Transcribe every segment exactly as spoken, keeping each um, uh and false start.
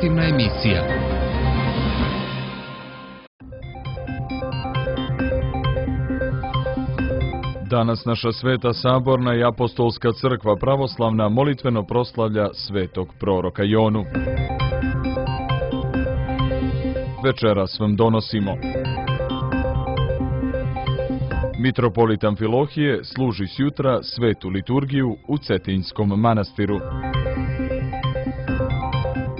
informativna emisija. Danas naša Sveta Saborna i Apostolska crkva pravoslavna molitveno proslavlja svetog proroka Jonu. Večeras vam donosimo: mitropolit Amfilohije služi sjutra svetu liturgiju u Cetinjskom manastiru.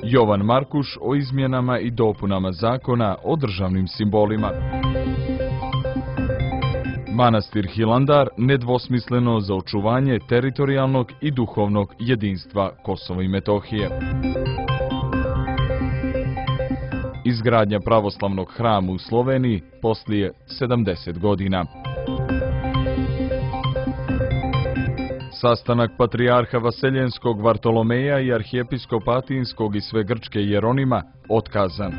Jovan Markuš o izmjenama i dopunama zakona o državnim simbolima. Manastir Hilandar nedvosmisleno za očuvanje teritorijalnog i duhovnog jedinstva Kosova i Metohije. Izgradnja pravoslavnog hrama u Sloveniji poslije sedamdeset godina. Sastanak patrijarha Vaseljenskog Vartolomeja i arhijepiskopa Atinskog i Svegrčke Jeronima otkazan.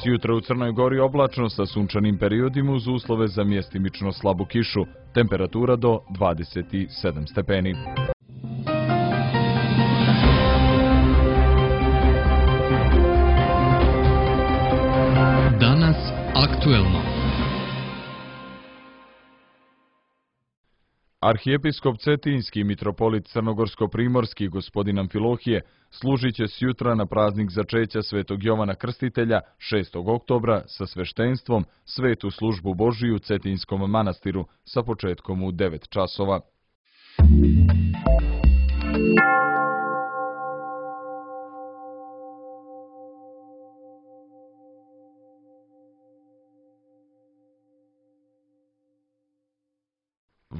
Sjutra u Crnoj Gori oblačno sa sunčanim periodima uz uslove za mjestimično slabu kišu. Temperatura do dvadeset sedam stepeni. Danas aktuelno. Arhijepiskop Cetinjski mitropolit Crnogorsko-primorski gospodin Amfilohije služit će sjutra na praznik začeća svetog Jovana Krstitelja šestog oktobra sa sveštenstvom svetu službu Božiju u Cetinjskom manastiru sa početkom u devet časova.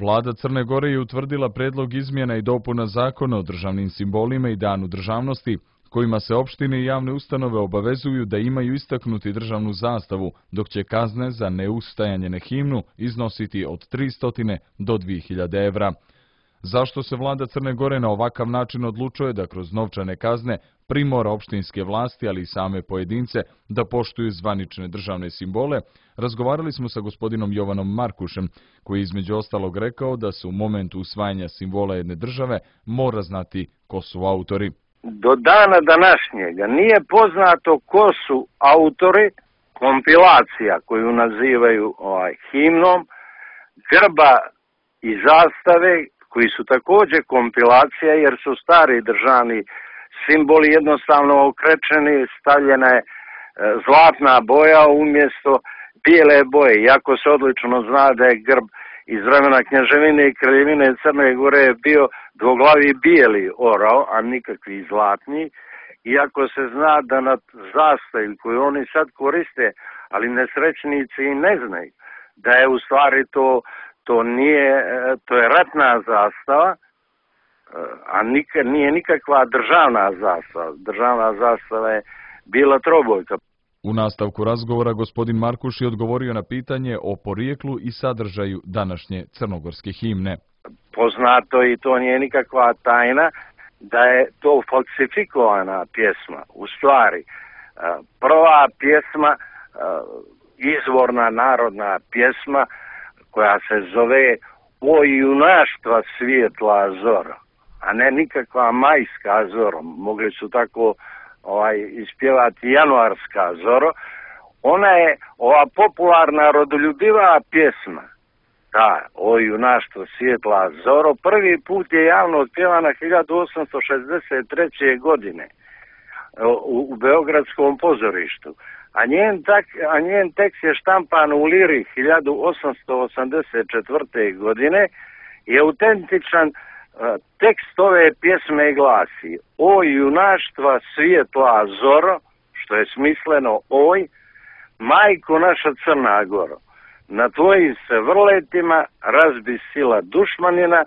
Vlada Crne Gore je utvrdila predlog izmjena i dopuna zakona o državnim simbolima i danu državnosti, kojima se opštine i javne ustanove obavezuju da imaju istaknuti državnu zastavu, dok će kazne za neustajanje na himnu iznositi od tristo do dvije hiljade evra. Zašto se vlada Crne Gore na ovakav način odlučuje da kroz novčane kazne primora opštinske vlasti, ali i same pojedince, da poštuju zvanične državne simbole, razgovarali smo sa gospodinom Jovanom Markušem, koji je između ostalog rekao da se u momentu usvajanja simbola jedne države mora znati ko su autori. Do dana današnjega nije poznato ko su autori kompilacija koju nazivaju ovaj, himnom, grba i zastave, koji su također kompilacija jer su stari državni simboli jednostavno okrečeni, stavljena je zlatna boja umjesto bijele boje, iako se odlično zna da je grb iz vremena Kneževine i Kraljevine Crne Gore je bio dvoglavi bijeli orao, a nikakvi zlatni, iako se zna da na zastavi koju oni sad koriste, ali nesrećnici i ne znaju, da je u stvari to To nije, to je ratna zastava, a nikad, nije nikakva državna zastava. Državna zastava je bila trobojka. U nastavku razgovora gospodin Markuš je odgovorio na pitanje o porijeklu i sadržaju današnje crnogorske himne. Poznato i to nije nikakva tajna da je to falsifikovana pjesma. U stvari, prva pjesma, izvorna narodna pjesma, koja se zove O junaštva svijetla zoro, a ne nikakva majska zoro, mogli su tako ovaj, ispjevati januarska zoro. Ona je ova popularna rodoljubiva pjesma, da, O junaštvo svijetla zoro, prvi put je javno otpjevana hiljadu osamsto šezdeset treće godine u, u Beogradskom pozorištu. A njen, tak, a njen tekst je štampan u Liri hiljadu osamsto osamdeset četvrte. godine i autentičan uh, tekst ove pjesme glasi: O junaštva svijetla zoro, što je smisleno oj, majko naša Crna Goro, na tvojim se vrletima razbi sila dušmanina,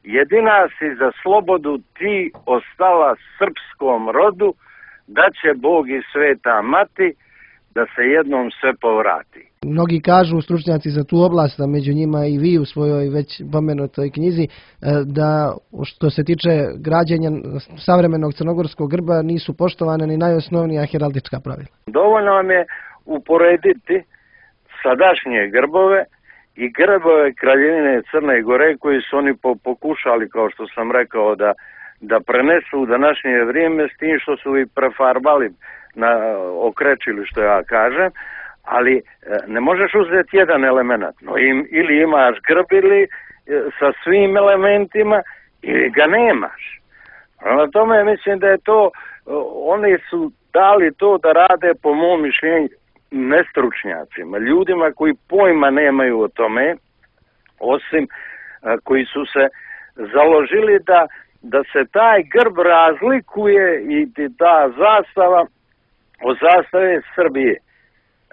jedina si za slobodu ti ostala srpskom rodu, da će Bog i sveta mati da se jednom sve povrati. Mnogi kažu, stručnjaci za tu oblast, a među njima i vi u svojoj već pomenutoj knjizi, da što se tiče građenja savremenog crnogorskog grba nisu poštovane ni najosnovnija heraldička pravila. Dovoljno vam je uporediti sadašnje grbove i grbove Kraljevine Crne Gore koji su oni pokušali, kao što sam rekao, da da prenesu u današnje vrijeme s tim što su i prefarbali na okrećili, što ja kažem, ali ne možeš uzeti jedan element, no im, ili imaš grb ili sa svim elementima ili ga nemaš. Na tome mislim da je to, oni su dali to da rade po mom mišljenju nestručnjacima, ljudima koji pojma nemaju o tome, osim koji su se založili da, da se taj grb razlikuje i ta zastava od zastave Srbije.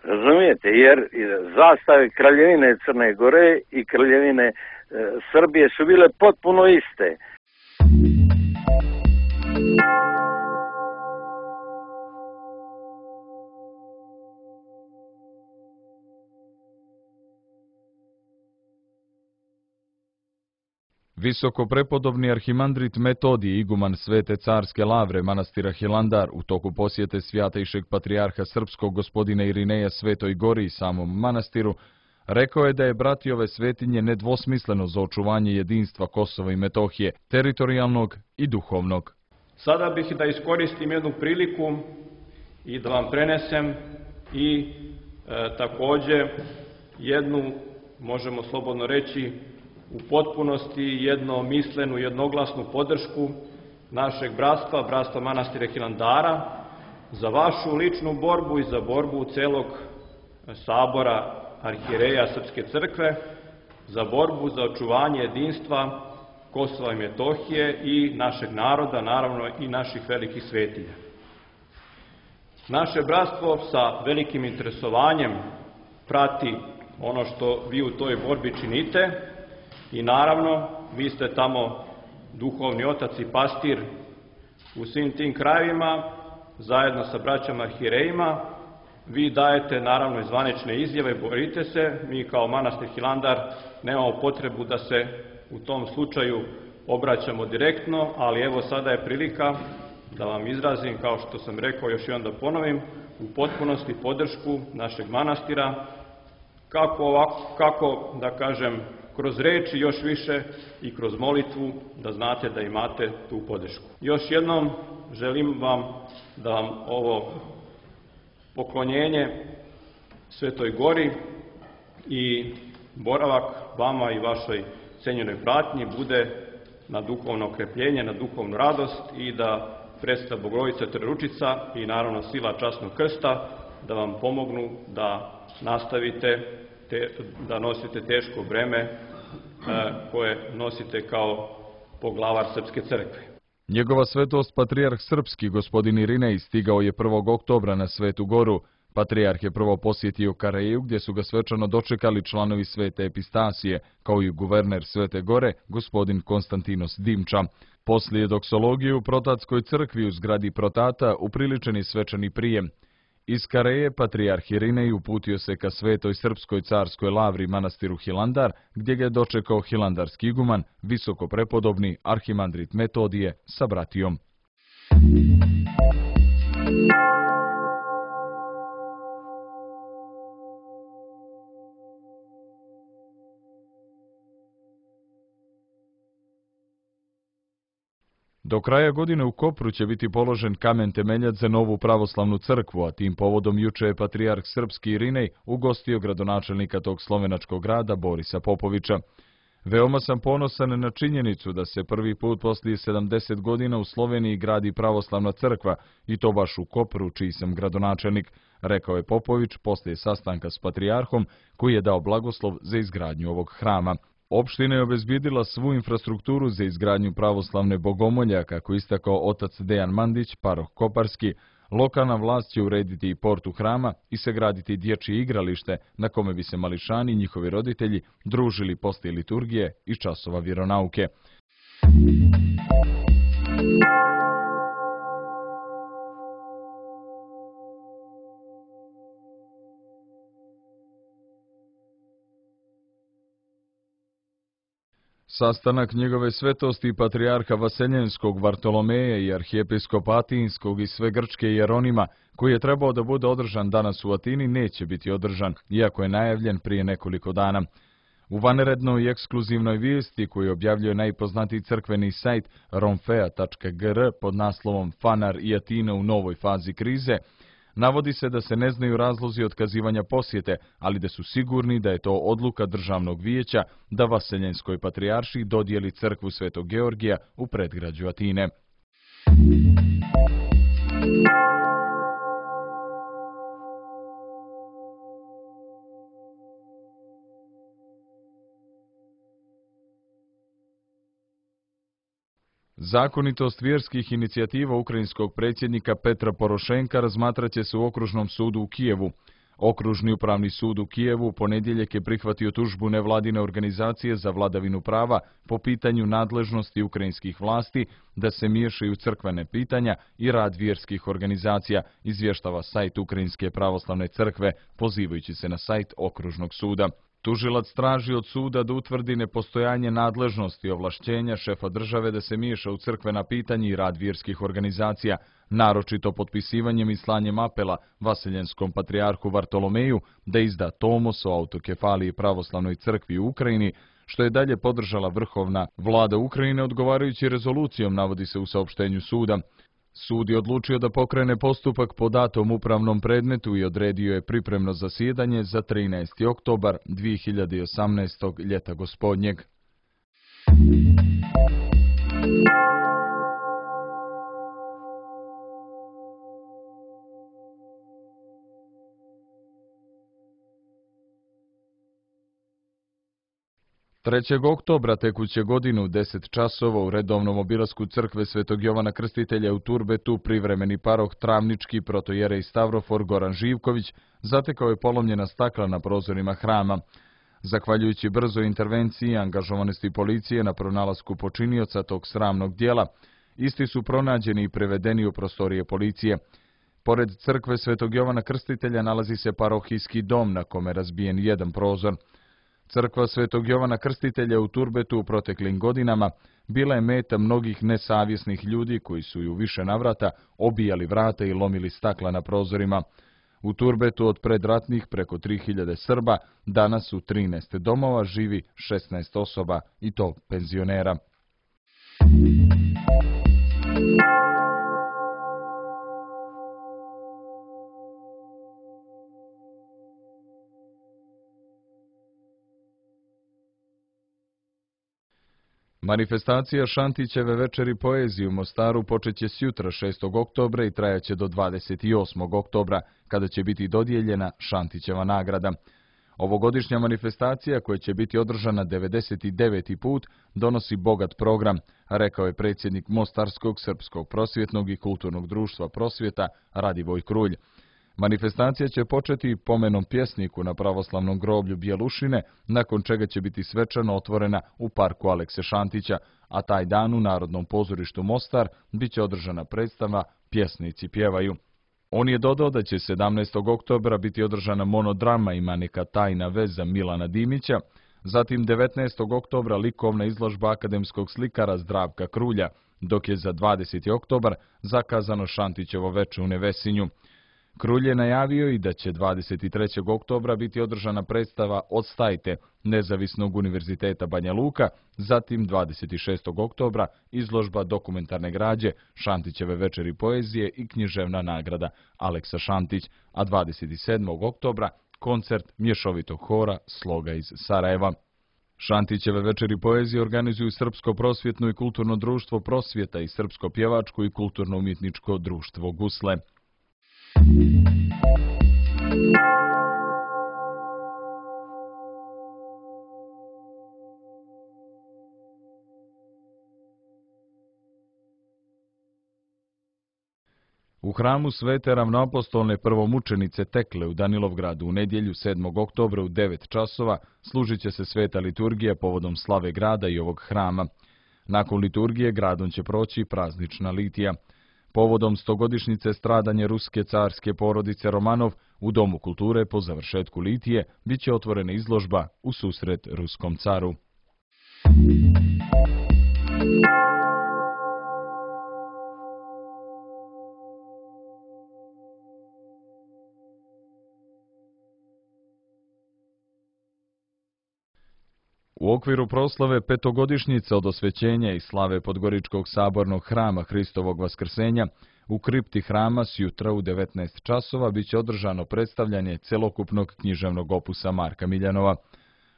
Razumijete? Jer zastave Kraljevine Crne Gore i Kraljevine e, Srbije su bile potpuno iste. Visoko prepodobni arhimandrit Metodije, iguman Svete carske lavre manastira Hilandar, u toku posjete svjatejšeg patrijarha srpskog gospodina Irineja Svetoj Gori i samom manastiru, rekao je da je bratijove svetinje nedvosmisleno za očuvanje jedinstva Kosova i Metohije, teritorijalnog i duhovnog. Sada bih da iskoristim jednu priliku i da vam prenesem i e, također jednu, možemo slobodno reći, u potpunosti jednomislenu, jednoglasnu podršku našeg bratstva, bratstva manastira Hilandara, za vašu ličnu borbu i za borbu celog sabora arhijereja Srpske crkve, za borbu za očuvanje jedinstva Kosova i Metohije i našeg naroda, naravno i naših velikih svetinja. Naše bratstvo sa velikim interesovanjem prati ono što vi u toj borbi činite i naravno vi ste tamo duhovni otac i pastir u svim tim krajevima zajedno sa braćama arhierejima. Vi dajete naravno i zvanične izjave, borite se, mi kao manastir Hilandar nemamo potrebu da se u tom slučaju obraćamo direktno, ali evo sada je prilika da vam izrazim, kao što sam rekao, još i onda ponovim, u potpunosti podršku našeg manastira, kako, ovako, kako da kažem, kroz reči još više i kroz molitvu, da znate da imate tu podršku. Još jednom želim vam da vam ovo poklonjenje Svetoj Gori i boravak vama i vašoj cenjenoj pratnji bude na duhovno okrepljenje, na duhovnu radost i da predstav Bogorodica Trojeručica i naravno sila časnog krsta da vam pomognu da nastavite, te, da nosite teško breme e, koje nosite kao poglavar Srpske crkve. Njegova svetost patrijarh srpski gospodin Irinej stigao je prvog oktobra na Svetu Goru. Patrijarh je prvo posjetio Karajeju gdje su ga svečano dočekali članovi Svete Epistasije, kao i guverner Svete Gore, gospodin Konstantinos Dimča. Poslije doksologije u Protatskoj crkvi u zgradi Protata upriličeni svečani prijem. Iz Karaje patrijarh Irinej uputio se ka Svetoj Srpskoj carskoj lavri manastiru Hilandar, gdje ga je dočekao hilandarski iguman, visoko prepodobni arhimandrit Metodije sa bratijom. Do kraja godine u Kopru će biti položen kamen temeljac za novu pravoslavnu crkvu, a tim povodom juče je patrijarh srpski Irinej ugostio gradonačelnika tog slovenačkog grada Borisa Popovića. Veoma sam ponosan na činjenicu da se prvi put poslije sedamdeset godina u Sloveniji gradi pravoslavna crkva i to baš u Kopru, čiji sam gradonačelnik, rekao je Popović poslije sastanka s patrijarhom koji je dao blagoslov za izgradnju ovog hrama. Opština je obezbijedila svu infrastrukturu za izgradnju pravoslavne bogomolja, kako istakao otac Dejan Mandić, paroh Koparski. Lokalna vlast će urediti i portu hrama i sagraditi dječje igralište na kome bi se mališani i njihovi roditelji družili poslije liturgije i časova vjeronauke. Sastanak njegove svetosti patrijarha Vaseljenskog Vartolomeja i arhijepiskopa Atinskog i sve grčke Jeronima, koji je trebao da bude održan danas u Atini, neće biti održan, iako je najavljen prije nekoliko dana. U vanrednoj i ekskluzivnoj vijesti koju objavljuje najpoznatiji crkveni sajt romfea tačka gr pod naslovom Fanar i Atina u novoj fazi krize, navodi se da se ne znaju razlozi otkazivanja posjete, ali da su sigurni da je to odluka državnog vijeća da Vaseljenskoj patrijaršiji dodijeli crkvu Svetog Georgija u predgrađu Atine. Zakonitost vjerskih inicijativa ukrajinskog predsjednika Petra Porošenka razmatrat će se u Okružnom sudu u Kijevu. Okružni upravni sud u Kijevu u ponedjeljak je prihvatio tužbu nevladine organizacije za vladavinu prava po pitanju nadležnosti ukrajinskih vlasti da se miješaju crkvene pitanja i rad vjerskih organizacija, izvještava sajt Ukrajinske pravoslavne crkve, pozivajući se na sajt Okružnog suda. Tužilac traži od suda da utvrdi nepostojanje nadležnosti i ovlašćenja šefa države da se miješa u crkvena pitanja i rad vjerskih organizacija, naročito potpisivanjem i slanjem apela Vaseljenskom patrijarhu Vartolomeju da izda tomos o autokefaliji pravoslavnoj crkvi u Ukrajini, što je dalje podržala vrhovna vlada Ukrajine odgovarajući rezolucijom, navodi se u saopštenju suda. Sud je odlučio da pokrene postupak po datom upravnom predmetu i odredio je pripremno zasjedanje za trinaesti oktobar dvije hiljade osamnaestog ljeta gospodnjeg. trećeg oktobra tekuće godine u deset časova u redovnom obilasku crkve Svetog Jovana Krstitelja u Turbetu privremeni paroh Travnički protojerej Stavrofor Goran Živković zatekao je polomljena stakla na prozorima hrama. Zahvaljujući brzoj intervenciji i angažovanosti policije na pronalasku počinioca tog sramnog dijela, isti su pronađeni i prevedeni u prostorije policije. Pored crkve Svetog Jovana Krstitelja nalazi se parohijski dom na kome je razbijen jedan prozor. Crkva Svetog Jovana Krstitelja u Turbetu u proteklim godinama bila je meta mnogih nesavjesnih ljudi koji su ju više navrata obijali vrata i lomili stakla na prozorima. U Turbetu od predratnih preko tri hiljade Srba danas u trinaest domova živi šesnaest osoba, i to penzionera. Manifestacija Šantićeve večeri poezije u Mostaru počeće sjutra šestog oktobra i trajaće do dvadeset osmog oktobra, kada će biti dodijeljena Šantićeva nagrada. Ovogodišnja manifestacija, koja će biti održana devedeset deveti put, donosi bogat program, rekao je predsjednik Mostarskog srpskog prosvjetnog i kulturnog društva Prosvjeta Radivoj Krulj. Manifestacija će početi pomenom pjesniku na pravoslavnom groblju Bjelušine, nakon čega će biti svečano otvorena u parku Alekse Šantića, a taj dan u Narodnom pozorištu Mostar bit će održana predstava Pjesnici pjevaju. On je dodao da će sedamnaestog oktobra biti održana monodrama Ima neka tajna veza Milana Dimića, zatim devetnaestog oktobra likovna izložba akademskog slikara Zdravka Krulja, dok je za dvadeseti oktobar zakazano Šantićevo veče u Nevesinju. Krulj je najavio i da će dvadeset trećeg oktobra biti održana predstava Odstajte Nezavisnog univerziteta Banja Luka, zatim dvadeset šestog oktobra izložba dokumentarne građe Šantićeve večeri poezije i književna nagrada Aleksa Šantić, a dvadeset sedmog oktobra koncert mješovitog hora Sloga iz Sarajeva. Šantićeve večeri poezije organizuju Srpsko prosvjetno i kulturno društvo Prosvjeta i Srpsko pjevačko i kulturno-umjetničko društvo Gusle. U hramu Svete ravnoapostolne prvomučenice Tekle u Danilovgradu u nedjelju sedmog oktobra u devet časova služit će se sveta liturgija povodom slave grada i ovog hrama. Nakon liturgije gradom će proći praznična litija. Povodom stogodišnjice stradanja ruske carske porodice Romanov, u Domu kulture po završetku litije bit će otvorena izložba U susret ruskom caru. U okviru proslave petogodišnjice od osvećenja i slave Podgoričkog sabornog hrama Hristovog vaskrsenja, u kripti hrama sjutra u devetnaest časova biće održano predstavljanje celokupnog književnog opusa Marka Miljanova.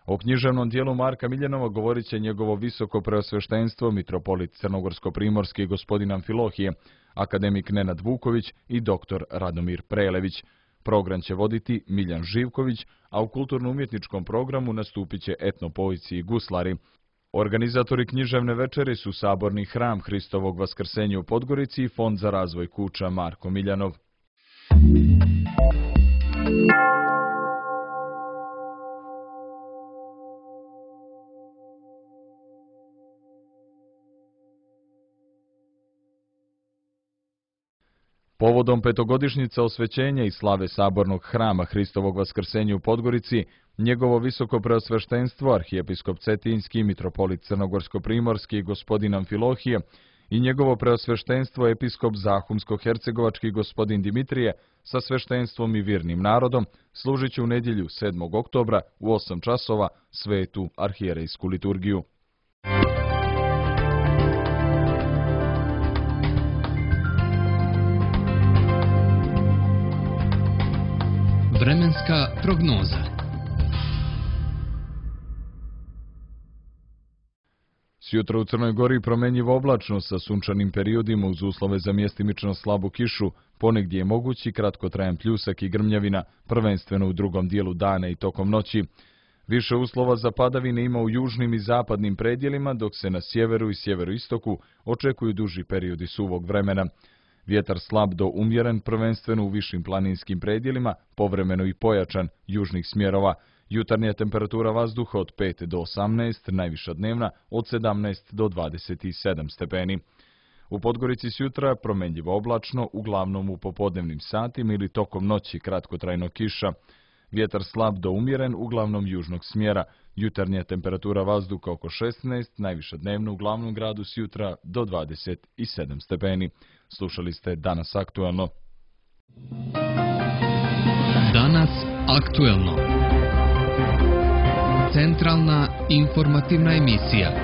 O književnom dijelu Marka Miljanova govorit će njegovo visoko preosveštenstvo mitropolit Crnogorsko-primorski gospodin Amfilohije, akademik Nenad Vuković i doktor Radomir Prelević. Program će voditi Miljan Živković, a u kulturno-umjetničkom programu nastupit će etnopoici i guslari. Organizatori književne večeri su Saborni hram Hristovog vaskrsenja u Podgorici i Fond za razvoj kuća Marko Miljanov. Povodom petogodišnjice osvećenja i slave Sabornog hrama Hristovog vaskrsenja u Podgorici, njegovo visoko preosveštenstvo arhijepiskop Cetinjski, mitropolit Crnogorsko-primorski gospodin Amfilohije i njegovo preosveštenstvo episkop Zahumsko-hercegovački gospodin Dimitrije sa sveštenstvom i virnim narodom služit će u nedjelju sedmog oktobra u osam časova svetu arhijerejsku liturgiju. Vremenska prognoza. Sjutra u Crnoj Gori promenjivo oblačno sa sunčanim periodima uz uslove za mjestimično slabu kišu, ponegdje je mogući kratkotrajan pljusak i grmljavina, prvenstveno u drugom dijelu dana i tokom noći. Više uslova za padavine ima u južnim i zapadnim predjelima, dok se na sjeveru i sjeveroistoku očekuju duži periodi suvog vremena. Vjetar slab do umjeren, prvenstveno u višim planinskim predjelima, povremeno i pojačan južnih smjerova. Jutarnja temperatura vazduha od pet do osamnaest, najviša dnevna od sedamnaest do dvadeset sedam stepeni. U Podgorici sjutra promenljivo oblačno, uglavnom u popodnevnim satima ili tokom noći kratkotrajno kiša. Vjetar slab do umjeren, uglavnom južnog smjera. Jutarnja temperatura vazduha oko šesnaest, najviša dnevna u glavnom gradu sjutra do dvadeset sedam stepeni. Slušali ste Danas aktuelno. Danas aktuelno. Centralna informativna emisija.